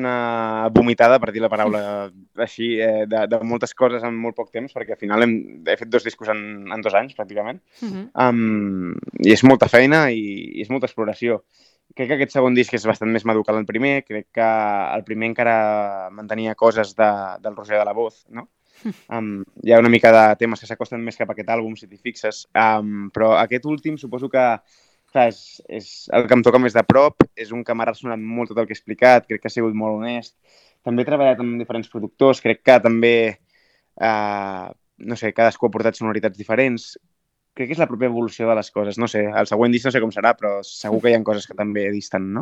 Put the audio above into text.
una vomitada, per dir la paraula així, de moltes coses en molt poc temps, perquè al final he fet 2 discos en 2 anys, pràcticament. I és molta feina i és molta exploració. Crec que aquest segon disc és bastant més madur que el primer. Crec que el primer encara mantenia coses del Roger de la Voz, no? Hi ha una mica de temes que s'acosten més cap a aquest àlbum, si t'hi fixes. Però aquest últim suposo que clar, és el que em toca més de prop, és un que m'ha ressonat molt tot el que he explicat, crec que ha sigut molt honest. També he treballat amb diferents productors, crec que també, no sé, cadascú ha portat sonoritats diferents. Crec que és la pròpia evolució de les coses, no sé, el següent disc no sé com serà, però segur que hi ha coses que també disten, no?